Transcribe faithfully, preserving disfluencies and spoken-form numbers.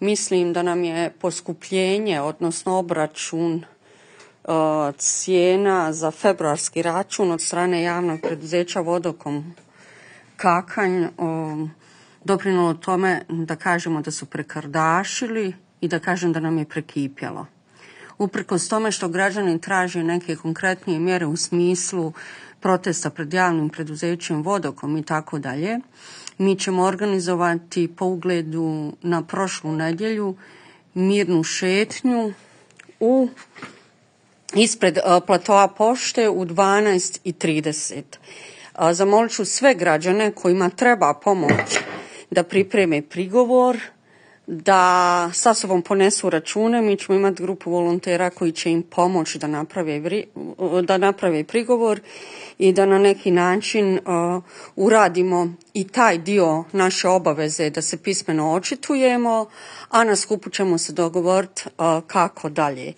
mislim da nam je poskupljenje, odnosno obračun cijena za februarski račun od strane javnog preduzeća Vodokom Kakanj doprinijelo tome da kažemo da su prekardašili i da kažem da nam je prekipjelo. Uprkos tome što građani traže neke konkretnije mjere u smislu protesta pred javnim preduzećem Vodokom i tako dalje, mi ćemo organizovati po ugledu na prošlu nedjelju mirnu šetnju u ispred platoa pošte u dvanaest i trideset. Zamolit ću sve građane kojima treba pomoć da pripreme prigovor, da sa sobom ponesu račune. Mi ćemo imati grupu volontera koji će im pomoći da naprave, da naprave prigovor i da na neki način uh, uradimo i taj dio naše obaveze da se pismeno očitujemo, a na skupu ćemo se dogovoriti uh, kako dalje.